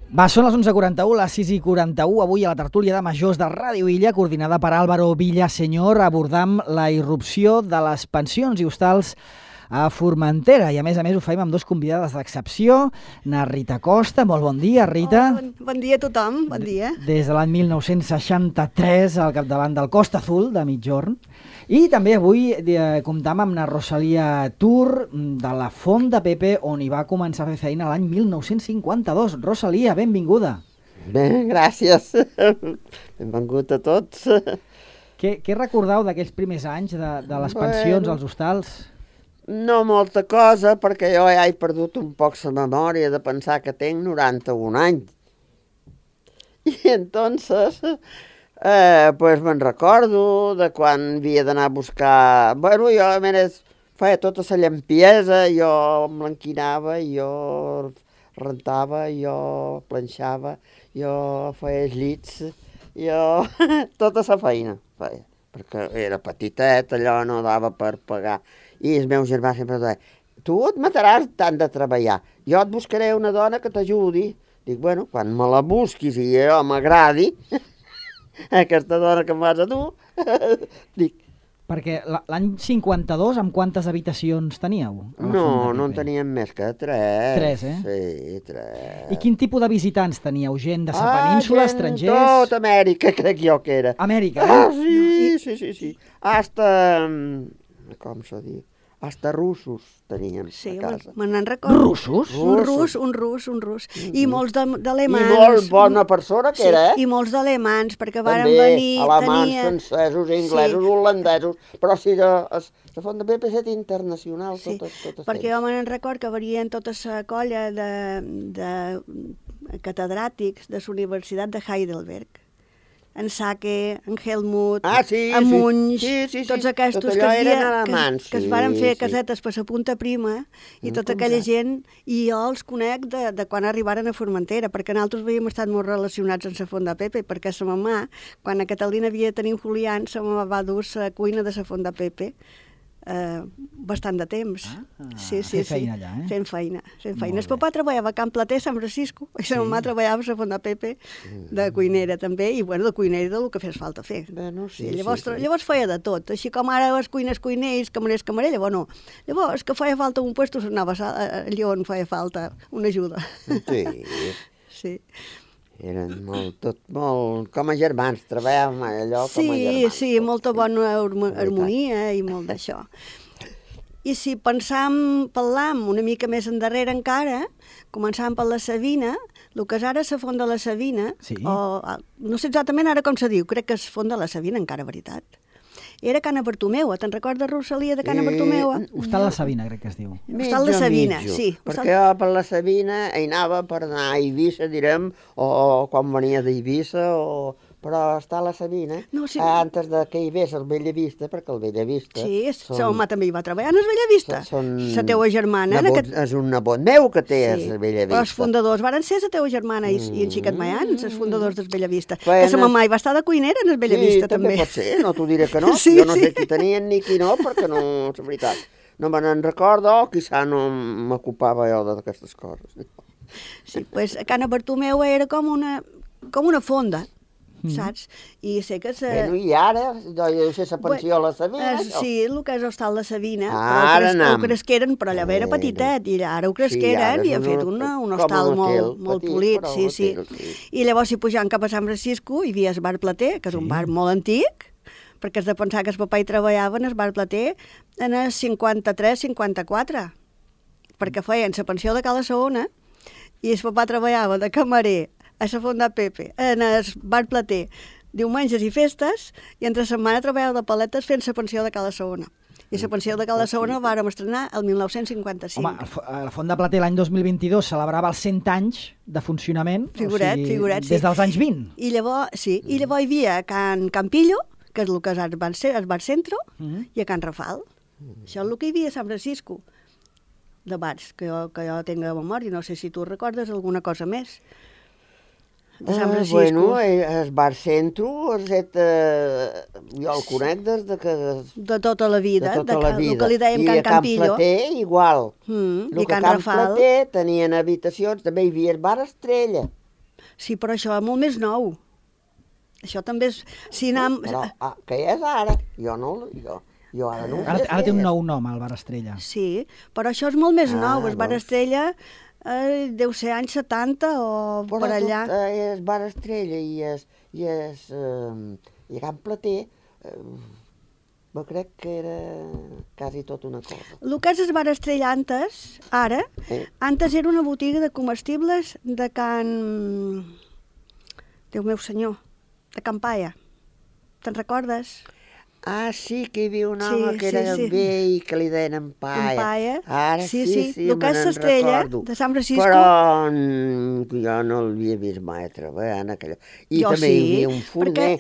Va, són les 11:41, les 6:41, avui a la tertúlia de majors de Ràdio Illa, coordinada per Álvaro Villaseñor, abordam la irrupció de les pensions i hostals a Formentera, i a més ho fem amb dos convidades d'excepció, na Rita Costa. Molt bon dia, Rita. Bon dia a tothom, bon dia. Des de l'any 1963 al capdavant del Costa Azul de Migjorn. I també avui comptam amb la Rosalia Tur de la Font de Pepe, on hi va començar a fer feina l'any 1952. Rosalia, benvinguda. Bé, gràcies. Benvingut a tots. Què recordeu d'aquells primers anys de les pensions als hostals? No molta cosa, perquè jo ja he perdut un poc la memòria de pensar que tinc 91 anys. I entonces, pues me'n recordo de quan havia d'anar a buscar... Bueno, jo a més feia tota la llampiesa, jo blanquinava, jo rentava, jo planxava, jo feia els llits, jo... tota la feina feia, perquè era petitet, allò no dava per pagar. I el meu germà sempre deia, tu et mataràs tant de treballar, jo et buscaré una dona que t'ajudi. Dic, bueno, quan me la busquis i jo m'agradi, aquesta dona que em vas a tu, dic... Perquè l'any 52, amb quantes habitacions teníeu? No en teníem més que 3. 3, eh? Sí, 3. I quin tipus de visitants teníeu? Gent de la península, estrangers? Tot Amèrica, crec jo que era. Amèrica, eh? Sí. Hasta... com s'ha dit? Hasta russos teníem a casa. Me n'en recordo. Russos? Un rus. I molts d'alemans. I molt bona persona que era, I molts d'alemans, perquè varen també, venir... alemans, francesos, inglesos, holandesos, però sí, la Font de Pepe és internacional. Sí, perquè jo me'n recordo que venien tota la colla de catedràtics de la Universitat de Heidelberg. En Sake, en Helmut, en Munch, tots aquests que es varen fer casetes per la Punta Prima i tota aquella gent, i jo els conec de quan arribaren a Formentera, perquè nosaltres havíem estat molt relacionats amb la Font de Pepe, perquè sa mamà, quan a Catalina havia de tenir un Julián, sa mamà va dur la cuina de la Font de Pepe bastant de temps. Sí. Feina allà, eh? Fent feina. El papà treballava a Can Plater, Sant Francisco, i la mamà treballava a la Font de Pepe de cuinera també, i bueno, de cuinera del que fes falta fer. Llavors feia de tot, així com ara les cuiners, camarers, llavors no. Llavors, que feia falta un puesto, s'anava allà on feia falta una ajuda. Sí. Eren molt com a germans, treballàvem allò com a germans. Sí, molta bona harmonia i molt d'això. I si parlam una mica més endarrere encara, començàvem per la Sabina, el que és ara la Font de la Sabina, no sé exactament ara com se diu, crec que és Font de la Sabina encara, veritat. Era Cana Bartomeu, te'n recordes, Rosalia, de Cana Bartomeu? Hostal la Sabina, crec que es diu. Hostal la Sabina, sí. Perquè jo per la Sabina hi anava per anar a Eivissa, direm, o quan venia d'Eivissa, però està a la Sabina, antes que hi hagués el Bellavista, perquè el Bellavista... Sí, la mamà també hi va treballar en el Bellavista. La teua germana... És un nebot meu que té el Bellavista. Els fundadors varen ser la teua germana i en Xiquet Maian, els fundadors del Bellavista. Que la mamà hi va estar de cuinera en el Bellavista, també. Sí, també pot ser, no t'ho diré que no. Jo no sé qui tenien ni qui no, perquè no, és veritat. No me n'en recordo, quizà no m'ocupava jo d'aquestes coses. Sí, doncs Cana Bartomeu era com una fonda, saps? I sé que... Bueno, i ara, deu ser la pensió a la Sabina, això. Sí, el que és Hostal de Sabina, ho cresqueren, però allò era petitet, i ara ho cresqueren i han fet un hostal molt polit, sí. I llavors, si pujant cap a Sant Francisco, hi havia el bar Plater, que és un bar molt antic, perquè has de pensar que el papà hi treballava en el bar Plater en el 53-54, perquè feien la pensió de Cala Saona, i el papà treballava de camarer a la Font de Pepe, en el bar Plater, diumenges i festes, i entre setmana treballava de paletes fent la pensió de Cala Saona. I la pensió de Cala Saona la vàrem estrenar el 1955. Home, la Font de Plater l'any 2022 celebrava els 100 anys de funcionament, figuret, des dels anys 20. I llavors hi havia Can Campillo, que és el que és el bar Centro, i a Can Rafal. Això és el que hi havia a Sant Francisco, de bars, que jo tinc a memòria. No sé si tu recordes alguna cosa més de Sant Francisco. Bueno, el bar Centro, jo el conec des de que... De tota la vida, el que li dèiem Can Campillo. I a Can Plater, igual. I Can Rafal. Plater tenien habitacions, també hi havia el bar Estrella. Sí, però això és molt més nou. Això també és... Si anem... Però què és ara? Jo ara no ho sé. Ara té un nou nom, el Bar Estrella. Sí, però això és molt més nou. El Bar Estrella deu ser anys 70 o per allà. Però és Bar Estrella i Can Plater, jo crec que era quasi tot una cosa. El que és el Bar Estrella antes era una botiga de comestibles de Can... Déu meu senyor, de Can Paia. Te'n recordes? Ah, sí, que hi havia un home que era vell i que li deien en Paia. En Paia. Ara sí, el que és l'Estrella de Sant Francisco. Però jo no l'havia vist mai treballar en aquella... I jo també hi havia un forner.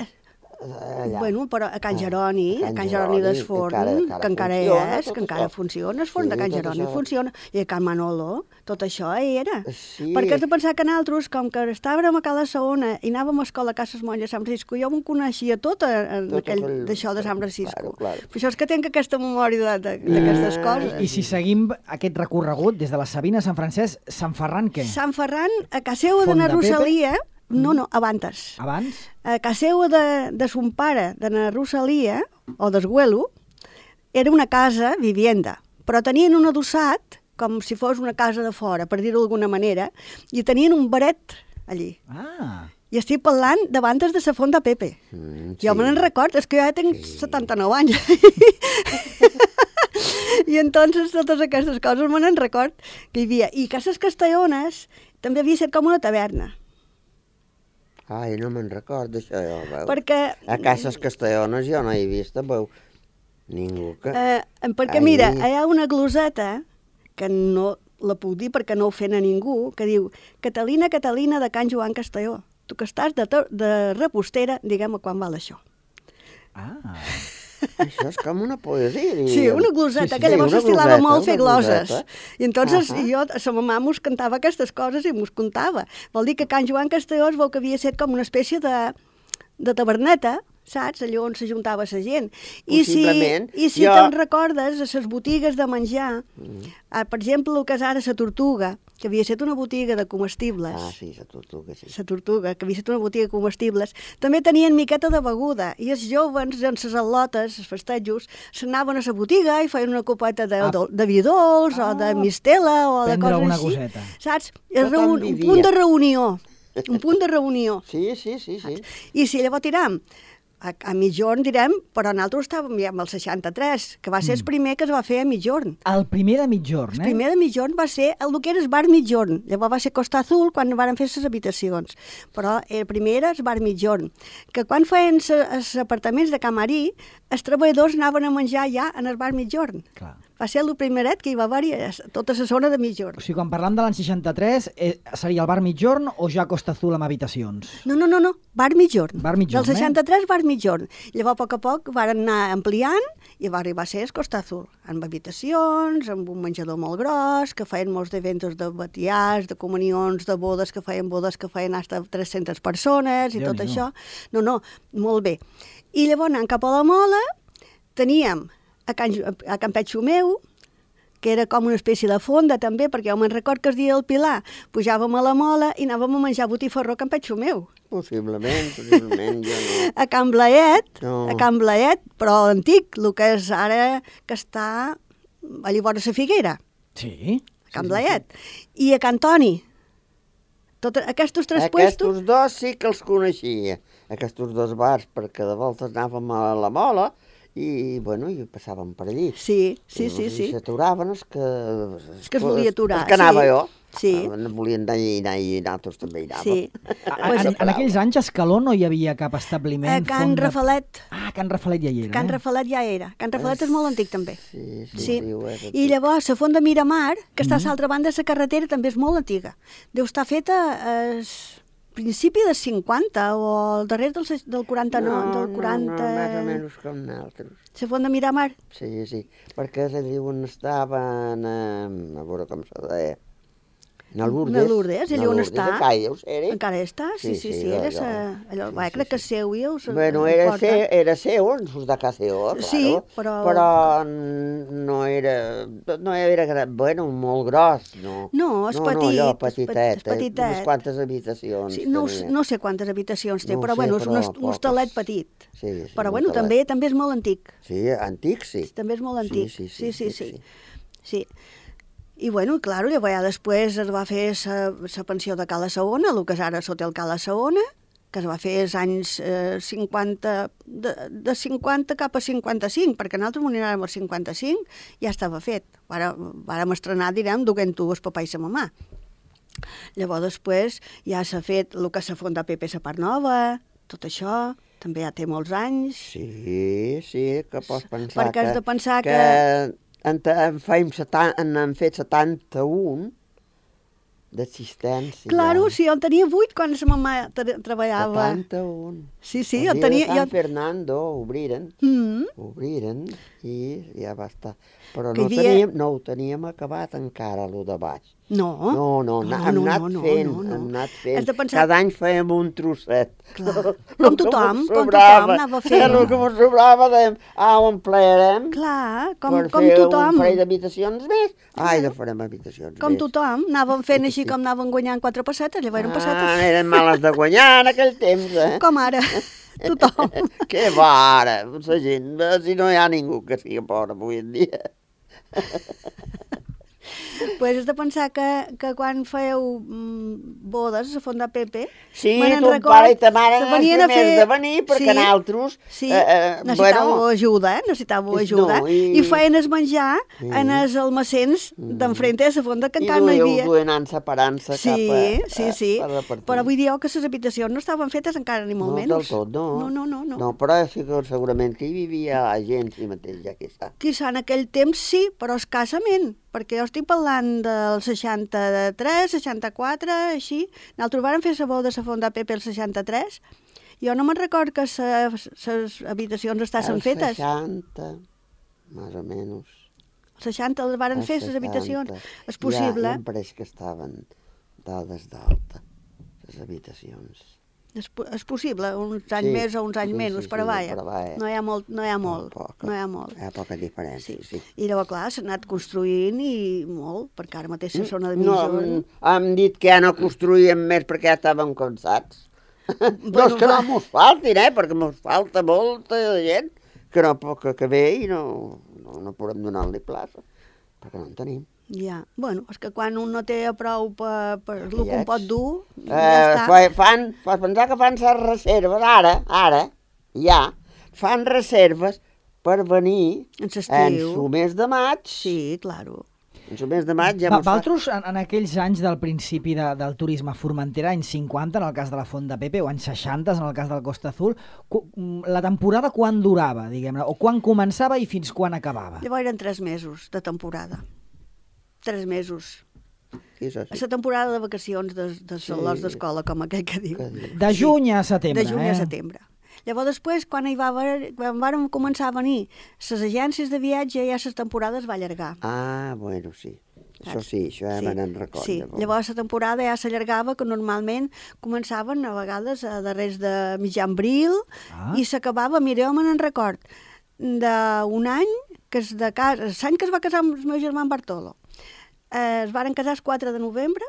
Bueno, però a Can Jeroni, a Can Jeroni d'Esforn, que encara és, que encara funciona, el forn de Can Jeroni funciona, i a Can Manolo, tot això era. Perquè has de pensar que nosaltres, com que estàvem a Cala Saona i anàvem a escola a Cases Monges de Sant Francisco, jo m'ho coneixia tot d'això de Sant Francisco. Per això és que tinc aquesta memòria d'aquestes coses. I si seguim aquest recorregut des de la Sabina a Sant Francesc, Sant Ferran què? Sant Ferran, a casa seva de na Rosalia... No, abans. Abans? A casa seva de son pare, de na Rosalia, o d'Esguelo, era una casa vivienda, però tenien un adossat, com si fos una casa de fora, per dir-ho d'alguna manera, i tenien un baret allí. I estic parlant d'abans de la font de Pepe. Jo me n'en record, és que jo ja tinc 79 anys. I entonces totes aquestes coses me n'en record que hi havia. I Cases Castellones també havia estat com una taverna. Ai, no me'n record d'això, jo, veu. Perquè... A Cases Castellones jo no he vist, veu, ningú que... Perquè mira, hi ha una gloseta, que no la puc dir perquè no ofèn a ningú, que diu Catalina, Catalina de Can Joan Castelló, tu que estàs de repostera, diguem-me quan val això. Això és com una poesia. Sí, una gloseta, que llavors s'estilava molt fer gloses. I entonces jo, a sa mamà mos cantava aquestes coses i mos contava. Vol dir que Can Joan Castelló es veu que havia estat com una espècie de taberneta, saps? Allò on s'ajuntava la gent. Possiblement. I si te'n recordes, a les botigues de menjar, per exemple, el que és ara la Tortuga, que havia estat una botiga de comestibles. Ah, sí, la Tortuga, sí. La Tortuga, que havia estat una botiga de comestibles, també tenien miqueta de beguda, i els joves, en les al·lotes, els festejos, s'anaven a la botiga i feien una copeta de vi dolç, o de mistela, o de coses així. Coseta. Saps? Un punt de reunió. Un punt de reunió. Sí. I si llavors tiram a mitjorn, direm, però nosaltres estàvem ja amb el 63, que va ser el primer que es va fer a mitjorn. El primer de mitjorn, El primer de mitjorn va ser el que era el bar mitjorn. Llavors va ser Costa Azul quan van fer les habitacions. Però el primer era el bar mitjorn. Que quan feien els apartaments de Camarí, els treballadors anaven a menjar ja en el bar mitjorn. Clar. Va ser el primeret que hi va haver-hi a tota la zona de mitjorn. O sigui, quan parlam de l'any 63, seria el bar mitjorn o ja Costa Azul amb habitacions? No, bar mitjorn. Bar mitjorn, Del 63, bar mitjorn. Llavors, a poc van anar ampliant i va arribar a ser el Costa Azul, amb habitacions, amb un menjador molt gros, que feien molts eventos de batiars, de comunions, de bodes que feien hasta 300 persones i tot això. No, molt bé. I llavors, anant cap a la Mola, teníem a Can Petxumeu, que era com una espècie de fonda també, perquè jo me'n record que el dia del Pilar pujàvem a la Mola i anàvem a menjar botifarró a Can Petxumeu. Possiblement, jo no. A Can Blaet, però l'antic, el que és ara, que està allà vora la Figuera. Sí. A Can Blaet. I a Can Toni. Aquests tres puestos... Aquests dos sí que els coneixia, aquests dos bars, perquè de voltes anàvem a la Mola i, bueno, i passàvem per allí. Sí. I s'aturaven els que... Els que es volia aturar, els que anava jo. Sí. Volien anar i nosaltres també hi anàvem. Sí. En aquells anys a Escaló no hi havia cap establiment? Can Rafalet. Can Rafalet ja hi era. Can Rafalet ja era. Can Rafalet és molt antic també. Sí. I llavors la font de Miramar, que està a l'altra banda de la carretera, també és molt antiga. Deu estar feta principi dels 50 o al darrer del 49, del 40... No, més o menys com nosaltres. La font de Miramar? Sí, perquè és allí on estaven, a veure com se deia, Na Lourdes, allà on està. Encara està, sí, allò, crec que és seu i us... Bueno, era seu, sus de casa seva, sí, però no era bueno, molt gros, no. No, és petit. No, allò petitet, unes quantes habitacions. Sí, no sé quantes habitacions té, però bueno, és un hostalet petit. Sí, però bueno, també és molt antic. Sí, antic, sí. També és molt antic. Sí. I bueno, clar, llavors després es va fer la pensió de Cala Saona, el que és ara l'Hotel Cala Saona, que es va fer als anys 50, de 50 cap a 55, perquè nosaltres m'ho anirem al 55, ja estava fet. Vàrem estrenar, direm, duent-ho el papà i la mamà. Llavors després ja s'ha fet el que s'ha fondat Pepe la Part Nova, tot això, també ja té molts anys. Sí, que pots pensar perquè has de pensar que han fet 71 d'assistència. Claro, sí, jo en tenia 8 quan la mamà treballava. 71. Sí, jo en tenia... San Fernando obriren i ja va estar. Però no ho teníem acabat encara, lo de baix. No. Hem anat fent. Cada any fèiem un trosset. Com tothom anava fent. El que ens sobrava dèiem, ho emplearem. Clar, com tothom. Per fer un parell d'habitacions més. Ja farem habitacions més. Com tothom, anàvem fent així com anàvem guanyant 4 pessetes, llavors eren pessetes. Eren males de guanyar en aquell temps, Com ara, tothom. Què va ara, la gent, si no hi ha ningú que sigui pobre avui en dia. Pues has de pensar que quan fèieu bodes a Font de Pepe... Sí, ton pare i ta mare eren els primers de venir, perquè nosaltres... Sí, necessitàveu ajuda. I feien el menjar en els almacens d'enfrente de la fonda, que encara no hi havia. I duien separant-se cap a... Sí. Però vull dir que les habitacions no estaven fetes encara ni molt menys. No, del tot, no. No, però segurament que hi vivia la gent, sí mateix, ja que està. Quizà en aquell temps sí, però escassament, perquè jo estic parlant del 63, 64, així. Nosaltres vàrem fer la boda a la Font de Pepe el 63. Jo no me'n record que les habitacions estaven fetes. El 60, més o menys. El 60 les varen fer, les habitacions. És possible. Ja em pareix que estaven dades d'alta, les habitacions. És possible, uns anys més o uns anys menys, però vaja, no hi ha molt. Hi ha poca diferència, sí. I llavors, clar, s'ha anat construint i molt, perquè ara mateix la zona de Mijó... No, hem dit que ja no construïem més perquè ja estàvem cansats. No és que no mos faltin, perquè mos falta molta gent que ve i no podem donar-li plaça, perquè no en tenim. Ja, bueno, és que quan un no té prou per el que un pot dur, ja està. Pots pensar que fan les reserves, ara, ja, fan reserves per venir en el mes de maig. Sí, claro. En el mes de maig ja... Vosaltres, en aquells anys del principi del turisme a Formentera, anys 50, en el cas de la Font de Pepe, o anys 60, en el cas del Costa Azul, la temporada quan durava, diguem-ne, o quan començava i fins quan acabava? Llavors eren 3 mesos de temporada. 3 mesos. Sí. La temporada de vacacions de salons d'escola, com aquell que diu. De juny a setembre. De juny a setembre. Llavors després, quan vàrem començar a venir les agències de viatge, ja la temporada es va allargar. Bueno, sí. Això sí, això ja me'n recordo. Sí, llavors la temporada ja s'allargava, que normalment començaven a vegades a darrers de mitjan abril i s'acabava, jo me'n record, d'un any, que és de casa, l'any que es va casar amb el meu germà en Bartolo. Es varen casar el 4 de novembre,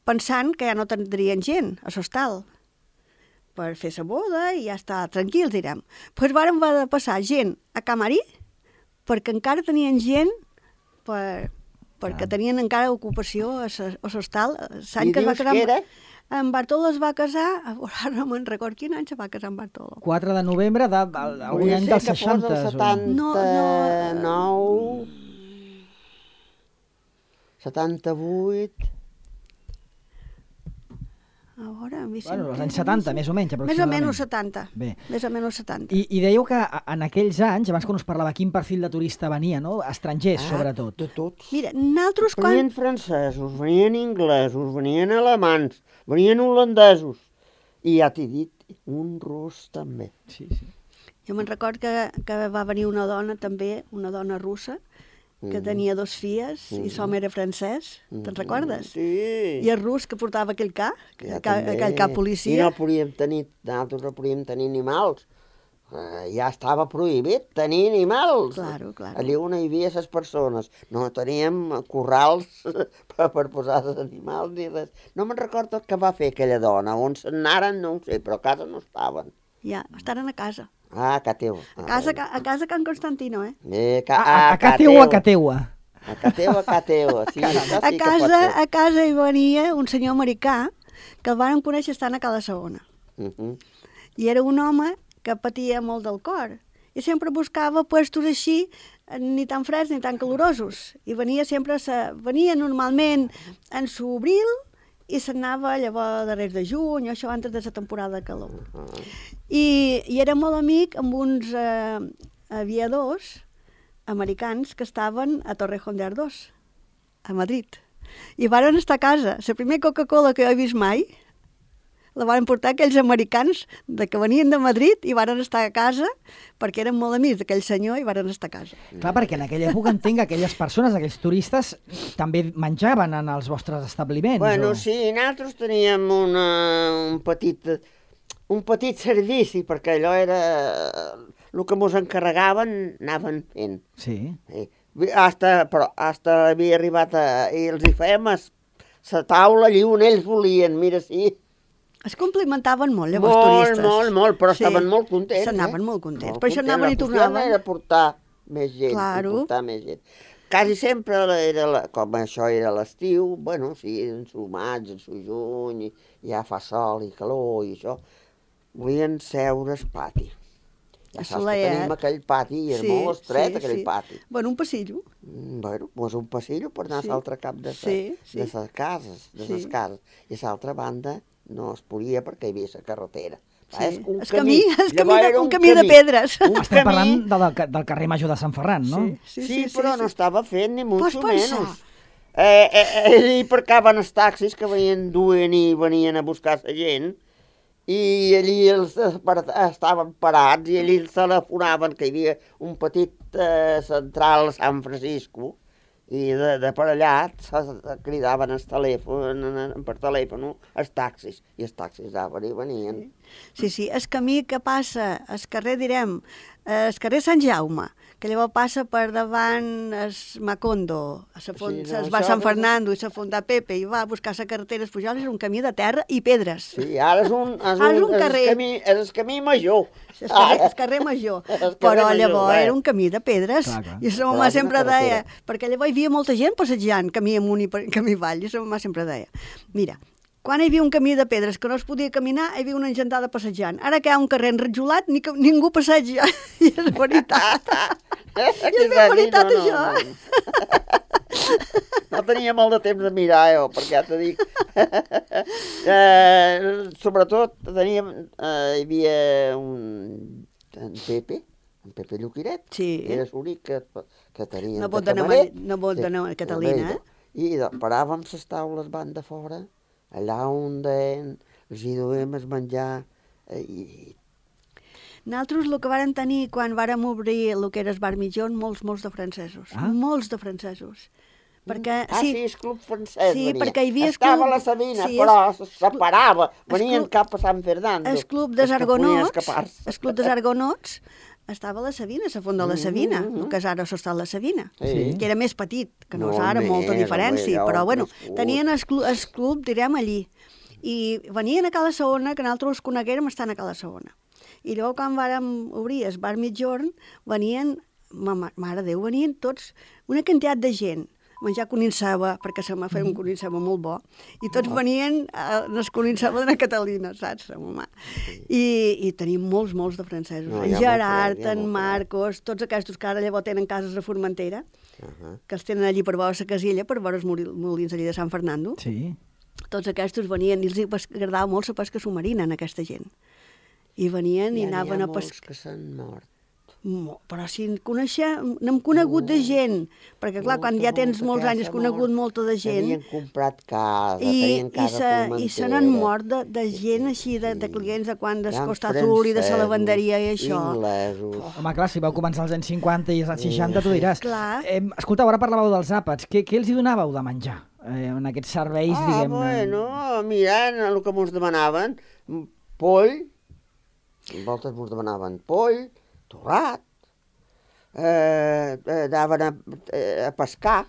pensant que ja no tindrien gent a l'hostal per fer la boda i ja està tranquils, direm. Doncs varen passar gent a Camarí perquè encara tenien gent perquè tenien encara ocupació a l'hostal. I dius que era? En Bartolo es va casar, ara no me'n record quin any se va casar en Bartolo. 4 de novembre d'algun any dels 60. 79... 78... A veure, els anys 70, més o menys, aproximadament. Més o menys 70. Bé. Més o menys 70. I dèieu que en aquells anys, abans que us parlava quin perfil de turista venia, no? Estrangers, sobretot. De tots. Mira, nosaltres quan... Venien francesos, venien inglesos, venien alemans, venien holandesos. I ja t'he dit, un rus també. Sí. Jo me'n record que va venir una dona també, una dona russa, que tenia 2 filles, i som era francès, te'n recordes? Sí. I el rus, que portava aquell ca policia. I no podíem tenir, nosaltres no podíem tenir animals. Ja estava prohibit tenir animals. Claro. Allí on hi havia les persones. No teníem corrals per posar els animals ni res. No me'n recordo què va fer aquella dona. On s'anaren, no ho sé, però a casa no estaven. Ja, estaven a casa. A Cateu. A casa Can Constantino, eh? A Cateua. A Cateua, sí. A casa hi venia un senyor americà que el vàrem conèixer estant a Cala Segona. I era un home que patia molt del cor i sempre buscava puestos així, ni tan freds ni tan calorosos. I venia normalment en s'obril i s'anava llavors darrere de juny, això antes de la temporada de calor. I era molt amic amb uns aviadors americans que estaven a Torrejón de Ardoz, a Madrid. I varen estar a casa. La primera Coca-Cola que he vist mai la van portar aquells americans que venien de Madrid i varen estar a casa perquè eren molt amics d'aquell senyor i varen estar a casa. Clar, perquè en aquella època entenc que aquelles persones, aquells turistes, també menjaven en els vostres establiments. Bueno, sí, nosaltres teníem un petit servici, perquè allò era el que mos encarregaven, anaven fent. Sí. Però havia arribat i els hi fèiem la taula allí on ells volien, mira, sí. Es complimentaven molt, llavors, turistes. Molt, però estaven molt contents. S'anaven molt contents, per això anaven i tornaven. La qüestió era portar més gent, Quasi sempre era, com això era l'estiu, bueno, sí, en su maig, en su juny, ja fa sol i calor i això, volien seure al pati. Ja saps que tenim aquell pati, i era molt estret aquell pati. Bueno, un passillo. Bueno, doncs un passillo per anar a l'altre cap de les cases, I a l'altra banda no es podia perquè hi havia la carretera. Un camí de pedres. Estem parlant del carrer Major de Sant Ferran, no? Sí, però no estava fet ni mucho menos. Allí aparcaven els taxis que duien i venien a buscar la gent i allí estaven parats i allí els telefonaven que hi havia un petit central a San Francisco i de per allà cridaven per telèfon els taxis, i els taxis anaven i venien. Sí, el camí que passa, el carrer, el carrer Sant Jaume, que llavors passa per davant el Macondo, es va a Sant Fernando i la Font de Pepe i va a buscar la carretera Espujols, és un camí de terra i pedres. Sí, ara és el camí major. El carrer major, però llavors era un camí de pedres, i la mama sempre deia, perquè llavors hi havia molta gent passejant, camí amunt i camí avall, i la mama sempre deia, mira, quan hi havia un camí de pedres que no es podia caminar, hi havia una engentada passejant. Ara que hi ha un carrer enrajolat, ningú passeja. I és veritat. I és veritat, això. No tenia molt de temps de mirar, perquè ja t'ho dic. Sobretot, hi havia en Pepe Lluquiret. Sí. Era l'únic que tenia no pot anar a Catalina, I paràvem les taules van de fora, allà on els hi duem el menjar. Nosaltres el que vàrem tenir quan vàrem obrir el que era el bar Mitjón, molts de francesos. Molts de francesos. Sí, el club francès venia. Perquè hi havia estava a la Sabina, però se separava. Venien cap a Sant Fernando. El club dels Argonots estava a la Sabina, a la font de la Sabina, el que és ara s'està a la Sabina, que era més petit, que no és ara, molta diferència, però bueno, tenien el club, direm, allí. I venien a Cala Segona, que nosaltres els coneguérem estant a Cala Segona. I llavors, quan vàrem obrir el bar Mitjorn, venien, mare Déu, venien tots, una quantitat de gent, menjar coninceba, perquè se m'ha fet un coninceba molt bo, i tots venien al coninceba de Catalina, saps, la mamà. I tenim molts de francesos. En Gerard, en Marcos, tots aquests que ara llavors tenen cases a Formentera, que els tenen allí per veure la casilla, per veure els molins allí de Sant Fernando. Sí. Tots aquests venien, i els agradava molt la pesca submarina en aquesta gent. I venien i anaven a pescar. N'hi ha molts que s'han mort. Però si n'hem conegut de gent, perquè clar, quan ja tens molts anys has conegut molta de gent. Havien comprat casa, tenien casa formentera. I se n'han mort de gent així, de clients de quan d'Costa Azul i de la lavanderia i això. Inglesos. Home, clar, si vau començar als anys 50 i als anys 60, tu diràs. Clar. Escoltau, ara parlàveu dels àpats. Què els hi donàveu de menjar en aquests serveis, diguem-ne? Bueno, mirant el que mos demanaven, poll, en voltes mos demanaven poll, torrat, anaven a pescar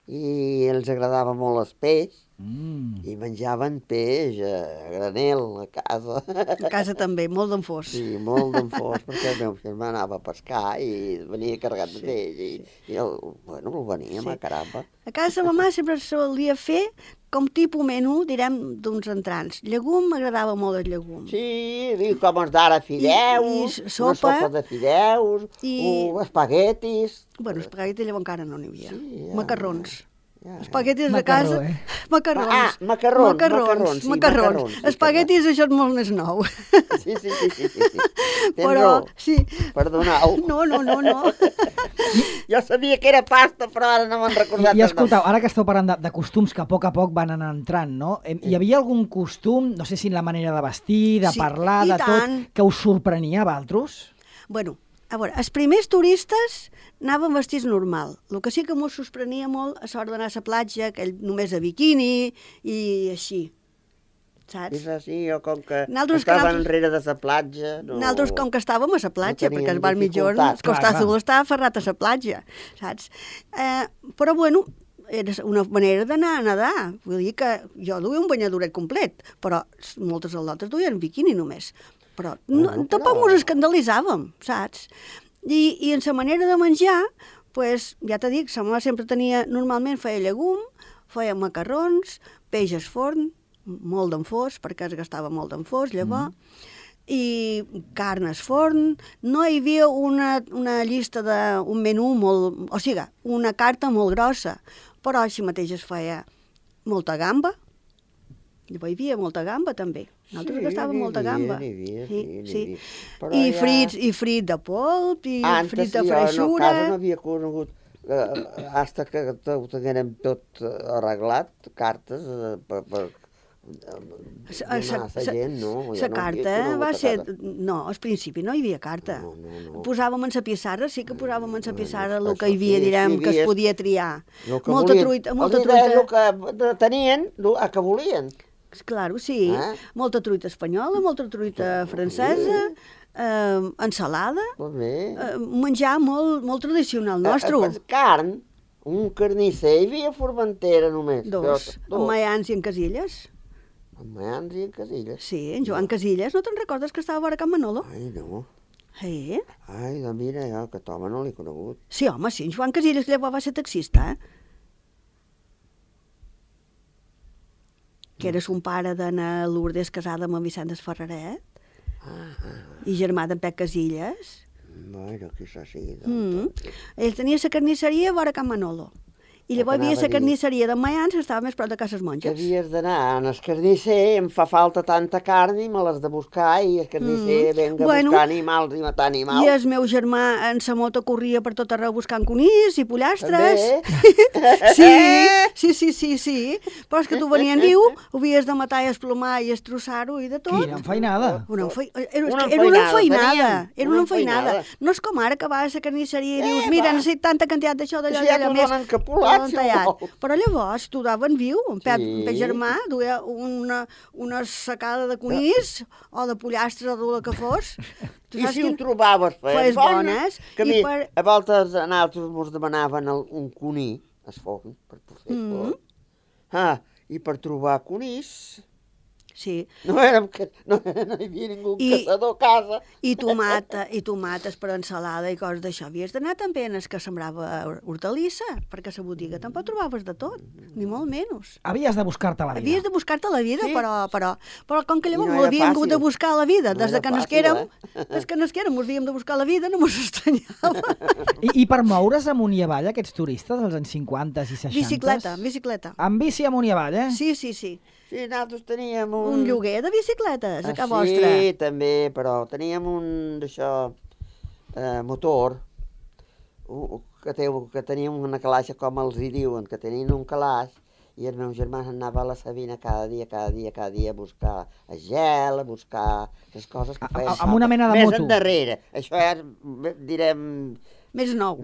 i els agradava molt el peix i menjaven peix a granel a casa. A casa també, molt d'enfós. Sí, molt d'enfós, perquè el meu germà anava a pescar i venia carregat de peix i el veníem a caramba. A casa mamà sempre solia fer com tipus menú, direm, d'uns entrants. Llegum, m'agradava molt el llegum. Sí, com els d'ara, fideus, I sopa, una sopa de fideus, espaguetis. Bueno, espaguetis llavors encara no n'hi havia. Sí, ja. Macarrons. Ja. Espaguetis de casa. Macarrons. Macarrons. Espaguetis, això és molt més nou. Sí. Però, sí. Perdoneu. No. Jo sabia que era pasta, però ara no me'n recordat. I escoltau, ara que esteu parlant de costums que a poc van anar entrant, no? Hi havia algun costum, no sé si en la manera de vestir, de parlar, de tot, que us sorprenia a vosaltres? Bueno, a veure, els primers turistes anaven vestits normal. El que sí que m'ho sorprenia molt a l'hora d'anar a la platja, que només a biquini i així, saps? És així, o com que estaven enrere de la platja. Nosaltres com que estàvem a la platja, perquè el bar mitjorn, el Costa Azul estava ferrat a la platja, saps? Però bueno, era una manera d'anar a nedar. Vull dir que jo duia un banyadoret complet, però moltes altres duien biquini només. Però tampoc ens escandalitzàvem, saps? I en la manera de menjar, pues, ja t'he dit, sa mare sempre normalment feia llegum, feia macarrons, peix al forn, molt d'enfós, perquè es gastava molt d'enfós, llavors, i carn al forn. No hi havia una llista d'un menú molt... O sigui, una carta molt grossa, però així mateix es feia molta gamba. Llavors hi havia molta gamba, també. Nosaltres gastàvem molta gamba. Sí. I frit de polp, i frit de freixura. A casa no havia conegut, fins que ho tinguérem tot arreglat, cartes per donar a la gent, no? La carta va ser... No, al principi no hi havia carta. Posàvem en la pissarra, sí que posàvem en la pissarra el que hi havia, direm, que es podia triar. Molta truita. El que tenien, el que volien. Claro, sí. Molta truita espanyola, molta truita francesa, ensalada, menjar molt tradicional nostre. Carn, un carnisser, hi havia Formentera només. Dos, en Mayans i en Casillas. En Mayans i en Casillas? Sí, en Joan Casillas, no te'n recordes que estava a Can Manolo? Ai, no. Sí? Ai, doncs mira, jo aquest home no l'he conegut. Sí, home, sí, en Joan Casillas llavors va ser taxista, que eres un pare d'Anna Lourdes casada amb en Vicent Ferreret, i germà d'en Pep Casillas. Bueno, quizás sí. Ell tenia la carnisseria a vora Can Manolo. I llavors hi havia la carnisseria de Mayans, que estava més prop de Cases Monges. Havies d'anar al carnisser, em fa falta tanta carn i me l'has de buscar, i el carnisser venga a buscar animals i matar animals. I el meu germà en sa moto corria per tot arreu buscant conills i pollastres. Sí. Però és que tu venien viu, ho havies de matar i esplomar i estrossar-ho i de tot. Quina enfeinada. Era una enfeinada. No és com ara que vas a la carnisseria i dius, mira, necessito tanta quantitat d'això, d'allò més. Però llavors tu daven viu, en Pep germà duia una sacada de conills o de pollastres o del que fos. I si ho trobaves fees bones, a voltes a nosaltres ens demanaven un conill al forn per fer forn. I per trobar conills Sí. No hi havia ningú caçador a casa. I tomates per ensalada i coses d'això. Havies d'anar també en els que sembrava hortalissa, perquè a la botiga tampoc trobaves de tot, ni molt menys. Havies de buscar-te la vida. Havies de buscar-te la vida, sí. però com que llavors m'ho havíem hagut de buscar la vida, des que nasquérem, m'ho havíem de buscar la vida, no mos estranyava. I per moure's amunt i avall, aquests turistes dels anys 50 i 60? Bicicleta. Amb bici amunt i avall, eh? Sí. Sí, nosaltres teníem un lloguer de bicicletes a casa vostra. Sí, també, però teníem un d'això, motor, que tenien una calaix, com els hi diuen, que tenien un calaix, i el meu germà anava a la Sabina cada dia a buscar gel, a buscar les coses que feien. Amb una mena de moto. Més endarrere. Això és, direm... Més nou.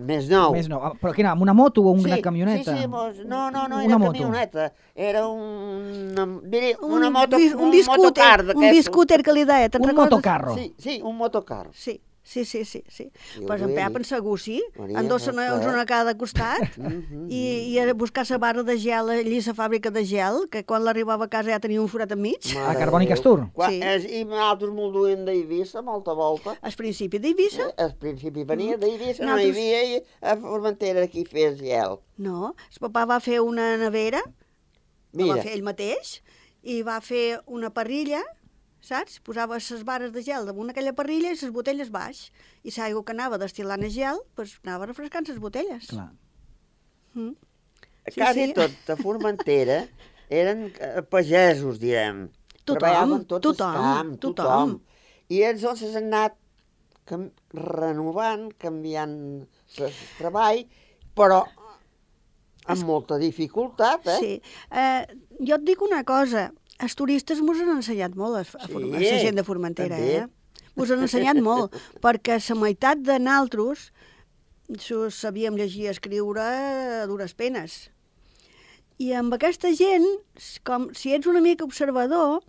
Però quina, amb una moto o una camioneta? Sí, no era camioneta. Era una moto, un motocar. Un biscúter que li deia, te'n recordes? Un motocarro. Sí, un motocarro. Sí. Pues en Pep, en segur, sí. Endossa-nos una a cada costat i a buscar la barra de gel allí a la fàbrica de gel, que quan l'arribava a casa ja tenia un forat enmig. A Carboni Castur. Sí. I nosaltres molt duien d'Eivissa, molta volta. Al principi d'Eivissa. Al principi venia d'Eivissa, no hi havia a Formentera qui fes gel. No, el papà va fer una nevera, la va fer ell mateix, i va fer una parrilla, saps? Posava les barres de gel damunt aquella parrilla i les botelles baix. I l'aigua que anava destil·lant el gel, doncs anava refrescant les botelles. Clar. Quasi tot a Formentera eren pagesos, direm. Treballaven tots al camp, tothom. I ells s'han anat renovant, canviant el treball, però amb molta dificultat, Sí. Jo et dic una cosa, els turistes mos han ensenyat molt a la gent de Formentera, Mos han ensenyat molt, perquè la meitat de nosaltres sabíem llegir i escriure a dures penes. I amb aquesta gent, com si ets una mica observador,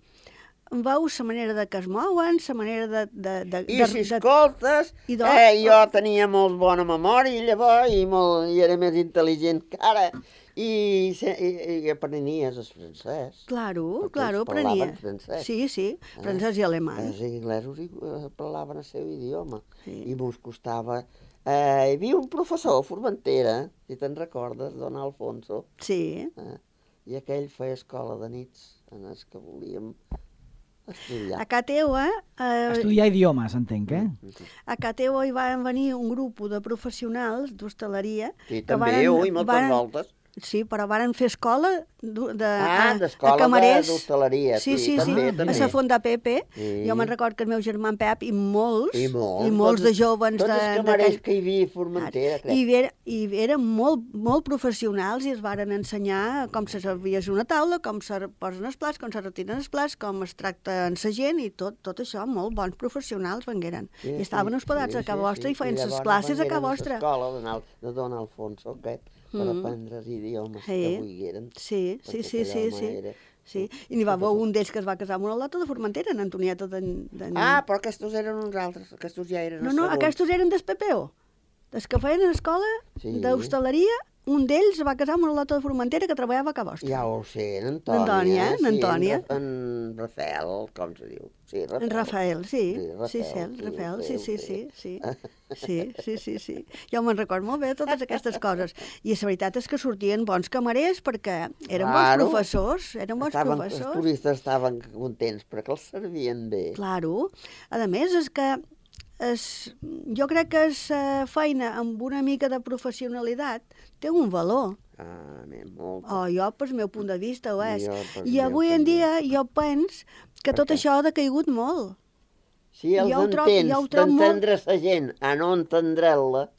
veus la manera de que es mouen, la manera de... I si escoltes, jo tenia molt bona memòria llavors i era més intel·ligent que ara. I aprenies el francès. Claro, aprenies. Sí, francès i alemany. Els inglesos parlaven el seu idioma i mos costava... Hi havia un professor a Formentera, si te'n recordes, don Alfonso. Sí. I aquell feia escola de nits en els que volíem estudiar. A casa teua... Estudiar idiomes, entenc, A casa teua hi van venir un grup de professionals d'hostaleria... Sí, també, moltes voltes. Sí, però varen fer escola d'escola camarers. D'hostaleria. Sí, a la Fonda Pepe. Jo me'n record que el meu germà en Pep i molts de joves... Tots els camarers que hi havia a Formentera, crec. I eren molt professionals i es varen ensenyar com se serveix una taula, com se posen els plats, com se retiren els plats, com es tracta amb la gent i tot això, molt bons professionals vengueren. I estaven hospedats a casa vostra i feien les classes a casa vostra. I llavors vengueren a l'escola de don Alfonso, aquest, per aprendre els idiomes que volgueren. Sí. I n'hi va haver un d'ells que es va casar amb una lota de Formentera, en Antonieta però aquests eren uns altres, aquests ja eren... No, aquests eren del PPO, des que feien escola d'hostaleria. Un d'ells va casar amb una lota de Formentera que treballava a casa vostra. Ja ho sé, en Antònia. En Rafael, com se diu? Sí, Rafael. En Rafael, sí. Sí. Jo me'n record molt bé totes aquestes coses. I la veritat és que sortien bons camarers perquè eren bons professors. Els turistes estaven contents perquè els servien bé. Claro. A més, és que jo crec que la feina amb una mica de professionalitat té un valor. Molt. Jo, pel meu punt de vista, ho és. I avui en dia jo penso que tot això ha decaigut molt. Si els entens d'entendre la gent a no entendre-la,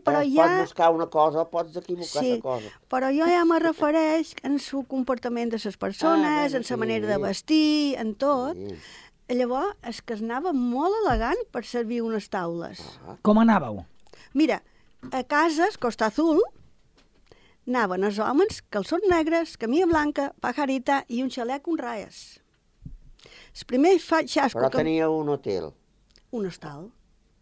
pots buscar una cosa o pots equivocar la cosa. Però jo ja me refereix en el comportament de les persones, en la manera de vestir, en tot. Llavors, és que es anava molt elegant per servir unes taules. Com anàveu? Mira, a cases, Costa Azul, anaven els homes, calçons negres, camisa blanca, pajarita i un xalec amb raes. El primer xasco... Però tenia un hotel. Un hostal.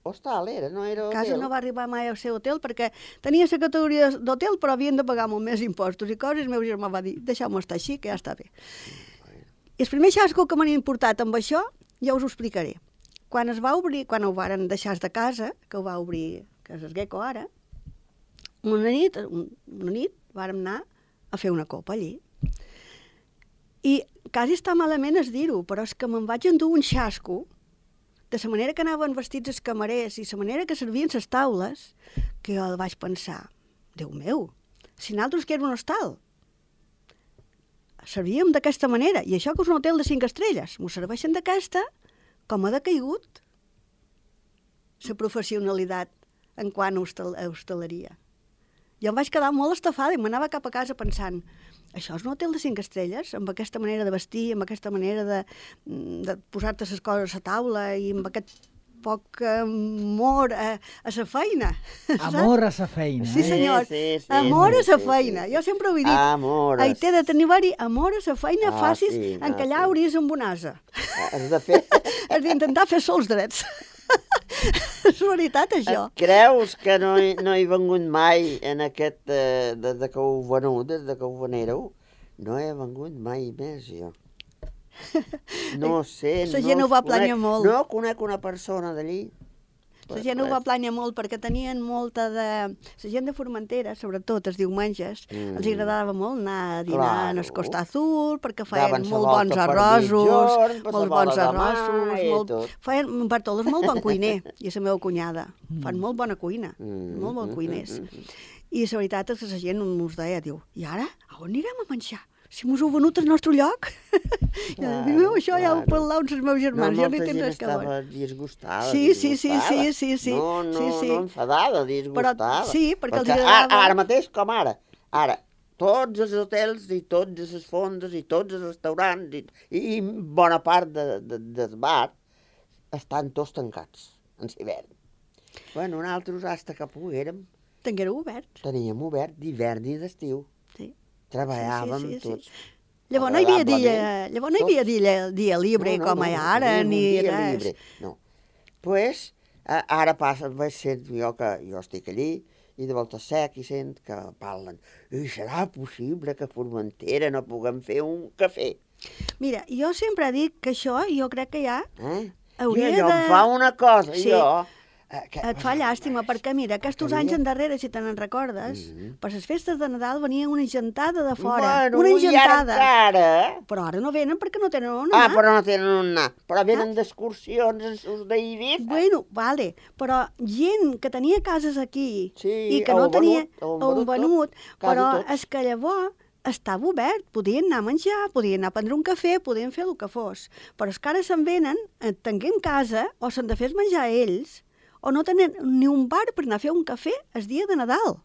Hostal era, no era hotel. Casa no va arribar mai al seu hotel perquè tenia la categoria d'hotel però havien de pagar molt més impostos i coses. El meu germà va dir, deixeu-me estar així, que ja està bé. I el primer xasco que m'han importat amb això, ja us ho explicaré. Quan es va obrir, quan ho varen deixar de casa, que ho va obrir, que és el Gecko ara, una nit vàrem anar a fer una copa allí. I quasi està malament es dir-ho, però és que me'n vaig endur un xasco, de la manera que anaven vestits els camarers i la manera que servien les taules, que jo vaig pensar, Déu meu, si nosaltres que era un hostal, servíem d'aquesta manera, i això que és un hotel de 5 estrelles, m'ho serveixen d'aquesta, com ha decaigut. la professionalitat en quant a hostaleria. Jo em vaig quedar molt estafada i m'anava cap a casa pensant, això és un hotel de 5 estrelles, amb aquesta manera de vestir, amb aquesta manera de posar-te les coses a taula i amb aquest poc amor a la feina. Amor a la feina. Sí, senyor. Sí, amor a la feina. Jo sempre ho he dit. Amor. Ai, té de tenir-hi amor a la feina, facis en que allà hauries amb un asa. Has de fer... Has d'intentar fer sols drets. És veritat, això. Creus que no he vengut mai en aquest... des que ho venut, des que ho venéreu? No he vengut mai més, jo. No sé, la gent ho va plànyer molt. No conec una persona d'allí. La gent ho va plànyer molt perquè tenien molta de... La gent de Formentera, sobretot els diumenges, els agradava molt anar a dinar en el Costa Azul perquè feien molt bons arrossos, molt bons arrossos, feien un Bartol és molt bon cuiner, i la meva cunyada. Fan molt bona cuina, molt bons cuiners. I la veritat és que la gent ens deia, diu, i ara, on anirem a menjar? Si mos heu venut al nostre lloc. Diu, això ja ho parlàveu amb els meus germans. No, molta gent estava disgustada. Sí. No enfadada, disgustada. Sí, perquè els agradava... Ara mateix, com ara. Ara, tots els hotels i totes les fondes i tots els restaurants i bona part del bar estan tots tancats en l'hivern. Bueno, nosaltres, hasta que poguérem... Teníem obert d'hivern i d'estiu. Sí. Treballàvem tots. Llavors no hi havia dia libre com hi ha ara, ni res. No. Pues, ara passa, vaig ser jo que jo estic allí, i de volta sec i sent que parlen. I serà possible que a Formentera no puguem fer un cafè? Mira, jo sempre dic que això, jo crec que ja hauria de... em fa una cosa, jo... Et fa llàstima, perquè mira, aquests anys endarrere, si te n'en recordes, per les festes de Nadal venia una gentada de fora. Bueno, una gentada. Ara... Però ara no venen perquè no tenen on anar. Però no tenen on anar. Però venen d'excursions els d'Eivissa. Bueno, vale, però gent que tenia cases aquí i que no tenia on venut, però és que llavors estava obert, podien anar a menjar, podien anar a prendre un cafè, podien fer el que fos. Però és que ara se'n venen, tenint casa, o s'han de fer menjar ells, o no tenen ni un bar per anar a fer un cafè el dia de Nadal.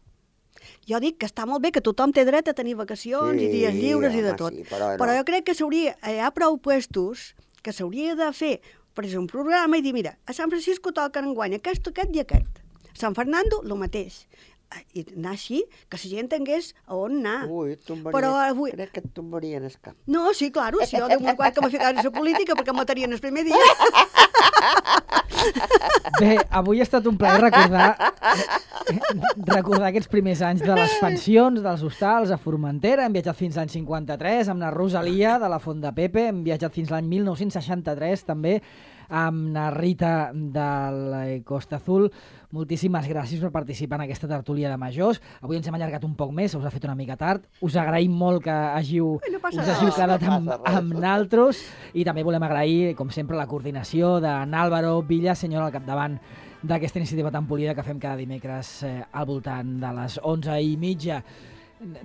Jo dic que està molt bé, que tothom té dret a tenir vacacions i dies lliures i de tot. Sí, però jo crec que hi ha prou puestos que s'hauria de fer, per exemple, un programa i dir, mira, a Sant Francisco toquen enguany aquest i aquest. A Sant Fernando, el mateix. I anar així, que la gent tingués a on anar. Crec que et tombarien el cap. No, sí, claro, si jo d'un quart que m'ha ficat a la política perquè em matarien el primer dia. Bé, avui ha estat un plaer recordar aquests primers anys de les pensions, dels hostals a Formentera. Hem viatjat fins l'any 53 amb la Rosalia de la Font de Pepe, hem viatjat fins l'any 1963 també amb la Rita del Costa Azul. Moltíssimes gràcies per participar en aquesta tertúlia de majors. Avui ens hem allargat un poc més, us ha fet una mica tard. Us agraïm molt que us hàgiu quedat amb naltros i també volem agrair, com sempre, la coordinació d'en Álvaro Villaseñor al capdavant d'aquesta iniciativa tan polida que fem cada dimecres al voltant de les 11:30.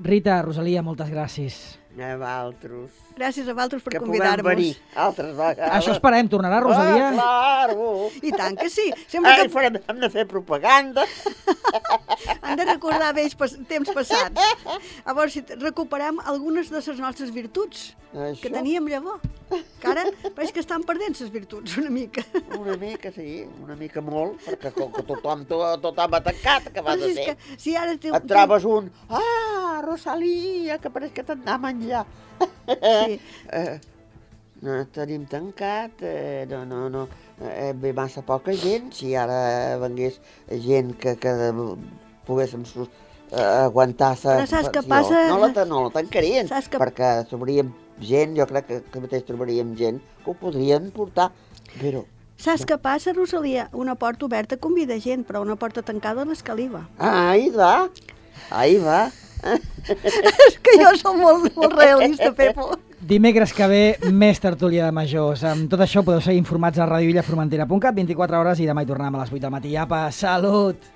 Rita, Rosalia, moltes gràcies. A vosaltres. Gràcies a vosaltres per convidar-nos. Que puguem venir altres vegades. Això esperem. Tornarà, Rosalia? Claro. I tant que sí. Hem de fer propaganda. Han de recordar vells temps passats. Llavors, si recuperem algunes de les nostres virtuts que teníem llavors. Que ara veig que estan perdent les virtuts una mica. Una mica, sí. Una mica molt, perquè tothom ha tancat, que vas a fer. Si ara et trobes un... Rosalia, que pareix que t'han d'anar a menjar. Sí. No tenim tancat, no. Ve massa poca gent, si ara vengués gent que poguéssim aguantar sa... Però saps què passa? No la tancarien, perquè trobaríem gent, jo crec que mateix trobaríem gent que ho podrien portar, però... Saps què passa, Rosalia? Una porta oberta convida gent, però una porta tancada l'escaliva. Ahí va. És que jo soc molt realista, Pepo. Dimecres que ve, més tertúlia de majors. Amb tot això podeu seguir informats a radiovillaformentera.cat, 24 hores, i demà hi tornem a les 8 del matí. Apa, salut!